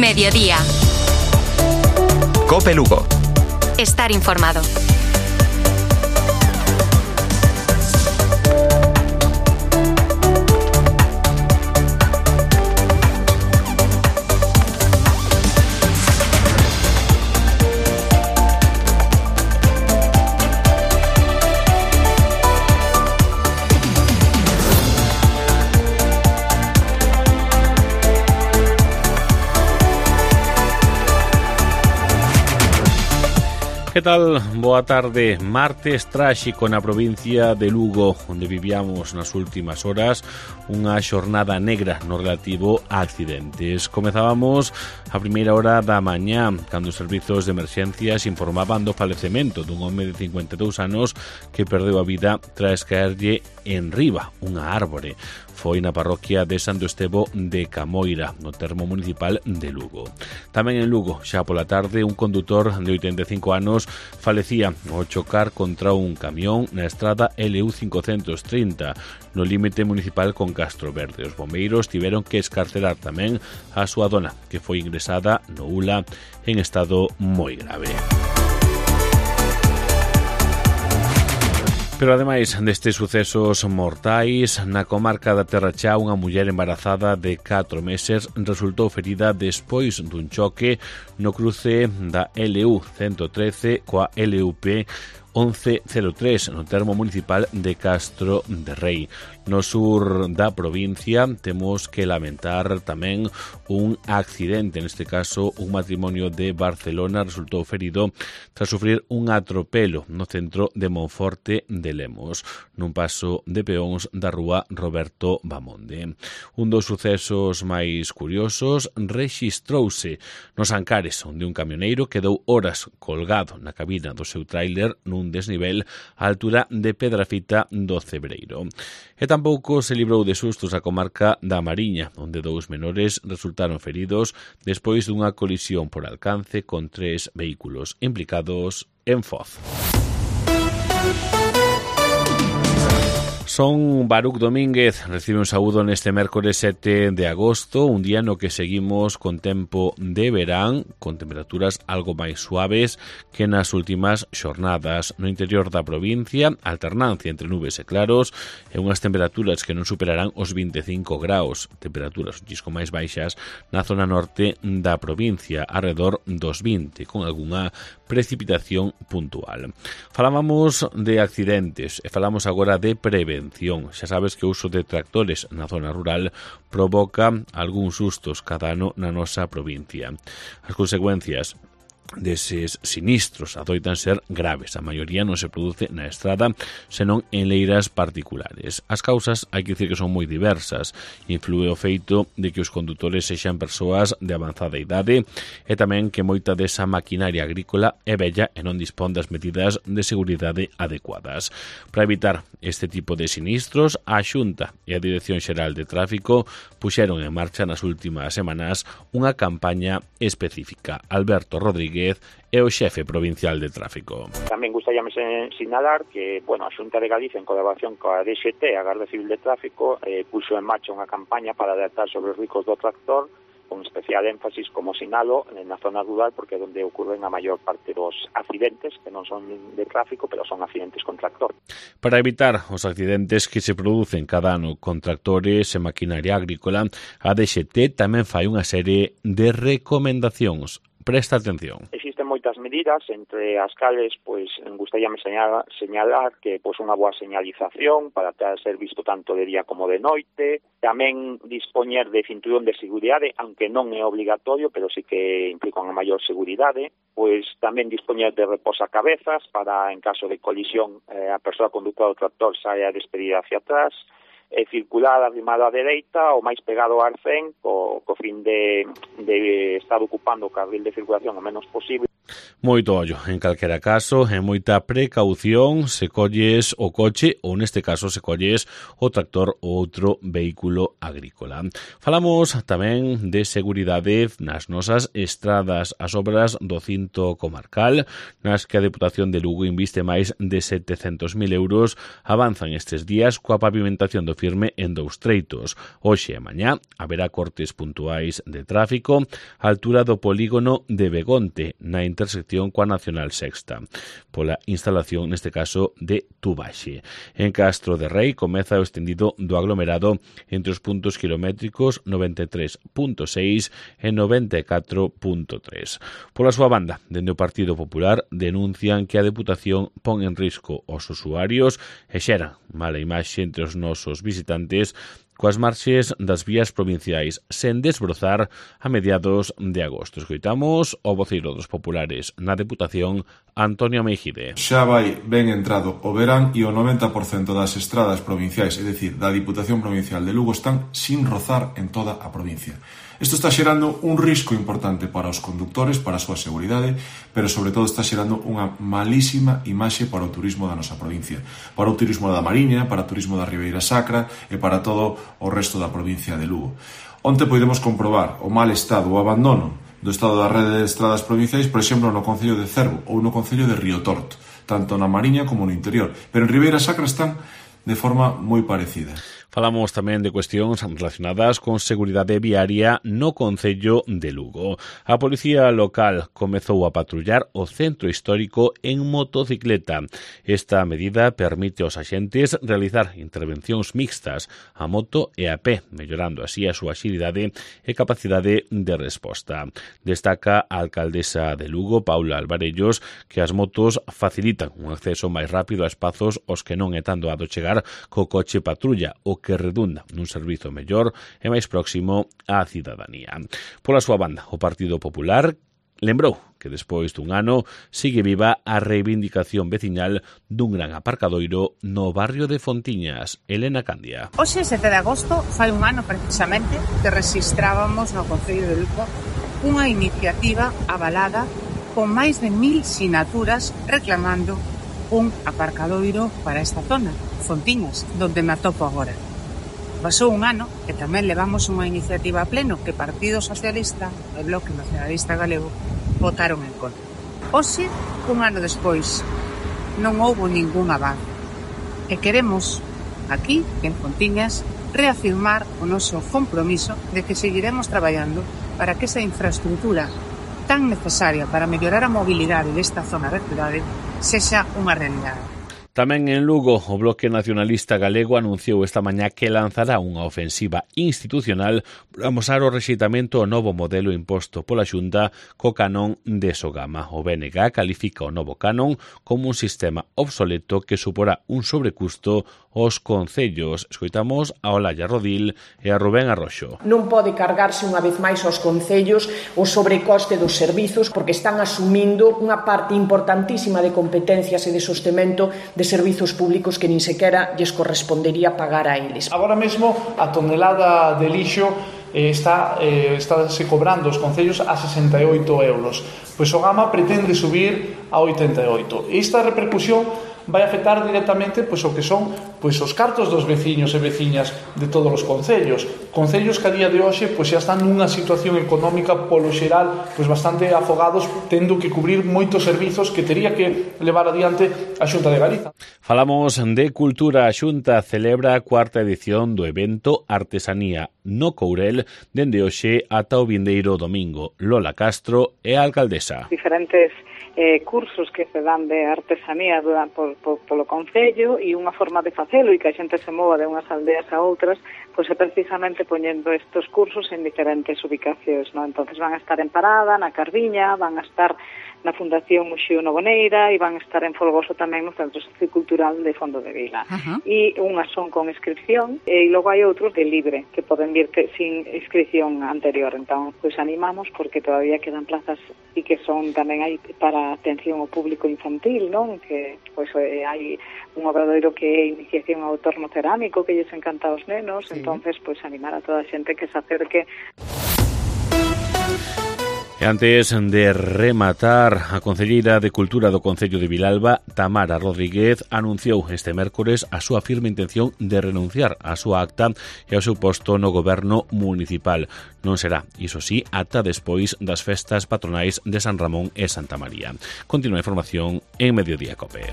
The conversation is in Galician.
Mediodía. COPE Lugo. Estar informado. Que tal? Boa tarde. Martes tráxico na provincia de Lugo, onde vivíamos nas últimas horas unha xornada negra no relativo a accidentes. Comezábamos a primeira hora da mañá, cando os servizos de emerxencias informaban do falecemento dun home de 52 anos que perdeu a vida tras caerlle en riba unha árbore. Foi na parroquia de Santo Estevo de Camoira, no termo municipal de Lugo. Tamén en Lugo, xa pola tarde, un condutor de 85 anos falecía ao chocar contra un camión na estrada LU 530, no límite municipal con Castro Verde. Os bombeiros tiveron que escarcerar tamén a súa dona, que foi ingresada no ULA en estado moi grave. Pero ademais destes sucesos mortais, na comarca da Terra Chá, unha muller embarazada de 4 meses resultou ferida despois dun choque no cruce da LU 113 coa LUP 1103 no termo municipal de Castro de Rei. No sur da provincia temos que lamentar tamén un accidente, neste caso un matrimonio de Barcelona resultou ferido tras sufrir un atropelo no centro de Monforte de Lemos, nun paso de peóns da rúa Roberto Bamonde. Un dos sucesos máis curiosos rexistrouse nos Ancares, onde un camioneiro quedou horas colgado na cabina do seu tráiler nun desnivel á altura de Pedrafita do Cebreiro. E tampouco se librou de sustos a comarca da Mariña, onde 2 menores resultaron feridos despois dunha colisión por alcance con 3 vehículos implicados en Foz. Son Baruc Domínguez, recibe un saúdo neste mércores 7 de agosto, un día no que seguimos con tempo de verán, con temperaturas algo máis suaves que nas últimas xornadas. No interior da provincia, alternancia entre nubes e claros e unhas temperaturas que non superarán os 25 graus, temperaturas un chisco máis baixas na zona norte da provincia, arredor dos 20, con algunha precipitación puntual. Falábamos de accidentes e falamos agora de prevención. Xa sabes que o uso de tractores na zona rural provoca algúns sustos cada ano na nosa provincia. As consecuencias deses sinistros adoitan ser graves. A maioría non se produce na estrada, senón en leiras particulares. As causas hai que dicir que son moi diversas. Inflúe o feito de que os condutores sexan persoas de avanzada idade e tamén que moita desa maquinaria agrícola é vella e non dispón das medidas de seguridade adecuadas. Para evitar este tipo de sinistros, a Xunta e a Dirección Xeral de Tráfico puxeron en marcha nas últimas semanas unha campaña específica. Alberto Rodríguez é o xefe provincial de tráfico. Tamén gustaríame sinalar que, a Xunta de Galicia, en colaboración coa DXT, a Garda Civil de Tráfico, puxo en marcha unha campaña para alertar sobre os riscos do tractor, con especial énfasis, como sinalo, na zona rural, porque é onde ocurren a maior parte dos accidentes, que non son de tráfico, pero son accidentes con tractor. Para evitar os accidentes que se producen cada ano con tractores e maquinaria agrícola, a DXT tamén fai unha serie de recomendacións. Presta atención. Existen moitas medidas, entre as cales, gustaríame señalar que unha boa señalización para ser visto tanto de día como de noite, tamén dispoñer de cinturón de seguridade, aunque non é obligatorio, pero sí que implica unha maior seguridade, tamén dispoñer de reposacabezas para, en caso de colisión, a persoa condutora do tractor saia despedida hacia atrás, e circular arrimado á dereita ou máis pegado ao arcén co fin de estar ocupando o carril de circulación o menos posible. Moito ollo, en calquera caso, e moita precaución se colles o coche ou neste caso se colles o tractor ou outro vehículo agrícola. Falamos tamén de seguridade nas nosas estradas, as obras do cinto comarcal, nas que a Deputación de Lugo inviste máis de 700.000 euros, avanzan estes días coa pavimentación do firme en 2 treitos. Hoxe e mañá haberá cortes puntuais de tráfico á altura do polígono de Begonte, na intersección coa Nacional Sexta, pola instalación, neste caso, de Tubaxe. En Castro de Rei comeza o extendido do aglomerado entre os puntos kilométricos 93.6 e 94.3. Pola súa banda, dende o Partido Popular, denuncian que a Deputación pon en risco os usuarios e xera mala imaxe entre os nosos visitantes coas marches das vías provinciais sen desbrozar a mediados de agosto. Escoitamos o voceiro dos populares na Deputación, Antonio Meijide. Xa vai ben entrado o verán e o 90% das estradas provinciais, é dicir, da Diputación Provincial de Lugo, están sin rozar en toda a provincia. Isto está xerando un risco importante para os condutores, para a súa seguridade, pero sobre todo está xerando unha malísima imaxe para o turismo da nosa provincia, para o turismo da Mariña, para o turismo da Ribeira Sacra e para todo o resto da provincia de Lugo. Onte podemos comprobar o mal estado, o abandono do estado da rede de estradas provinciais, por exemplo, no concello de Cervo ou no concello de Riotorto, tanto na Mariña como no interior, pero en Ribeira Sacra están de forma moi parecida. Falamos tamén de cuestións relacionadas con seguridade viaria no concello de Lugo. A Policía Local comezou a patrullar o centro histórico en motocicleta. Esta medida permite aos axentes realizar intervencións mixtas a moto e a pé, mellorando así a súa axilidade e capacidade de resposta. Destaca a alcaldesa de Lugo, Paula Alvarellos, que as motos facilitan un acceso máis rápido a espazos aos que non é tan doado chegar co coche patrulla, o que redunda nun servizo mellor e máis próximo á cidadanía. Pola súa banda, o Partido Popular lembrou que despois dun ano sigue viva a reivindicación veciñal dun gran aparcadoiro no barrio de Fontiñas. Elena Candia. Hoxe, 7 de agosto, fai un ano precisamente que rexistrábamos no Concello de Lugo unha iniciativa avalada con máis de 1000 sinaturas reclamando un aparcadoiro para esta zona, Fontiñas, donde me atopo agora. Pasou un ano e tamén levamos unha iniciativa a pleno que Partido Socialista e Bloque Nacionalista Galego votaron en contra. Hoxe, un ano despois, non houbo ningún avance. E queremos, aquí, en Fontiñas, reafirmar o noso compromiso de que seguiremos traballando para que esa infraestructura tan necesaria para mellorar a mobilidade desta zona da cidade sexa unha realidade. Tamén en Lugo, o Bloque Nacionalista Galego anunciou esta mañá que lanzará unha ofensiva institucional para amosar o rexeitamento ao novo modelo imposto pola Xunta co canon de Sogama. O BNG califica o novo canon como un sistema obsoleto que suporá un sobrecusto aos concellos. Escoitamos a Olalla Rodil e a Rubén Arroxo. Non pode cargarse unha vez máis aos concellos o sobrecoste dos servizos porque están asumindo unha parte importantísima de competencias e de sostemento de servizos públicos que nin sequera lles correspondería pagar a eles. Agora mesmo a tonelada de lixo está se cobrando os concellos a 68 euros. Pois o Gama pretende subir a 88. Esta repercusión vai afectar directamente pois o que son pois os cartos dos veciños e veciñas de todos os concellos que a día de hoxe pois xa están nunha situación económica polo xeral pois bastante afogados, tendo que cubrir moitos servizos que tería que levar adiante a Xunta de Galiza. Falamos de cultura. A Xunta celebra a 4ª edición do evento Artesanía no Courel dende hoxe ata o vindeiro domingo. Lola Castro é a alcaldesa. Diferentes cursos que se dan de artesanía polo concello e unha forma de facelo e que a xente se mova de unhas aldeas a outras, pois é precisamente poñendo estes cursos en diferentes ubicacións, non? Entonces van a estar en Parada, na Cardiña, van a estar na Fundación Muxío Novoneira e van a estar en Folgoso tamén no Centro Sociocultural de Fondo de Vila. E unhas son con inscripción e logo hai outros de libre que poden vir sin inscripción anterior. Entón, pois animamos porque todavía quedan plazas e que son tamén hai para atención ao público infantil, non? Que pois hai un obradoiro que é iniciación ao torno cerámico que lles encanta aos nenos, sí. Entonces pois animar a toda a xente que se acerque. E antes de rematar, a concelleira de Cultura do Concello de Vilalba, Tamara Rodríguez, anunciou este mércores a súa firme intención de renunciar á súa acta e ao seu posto no goberno municipal. Non será, iso sí, ata despois das festas patronais de San Ramón e Santa María. Continúa a información en Mediodía Cope.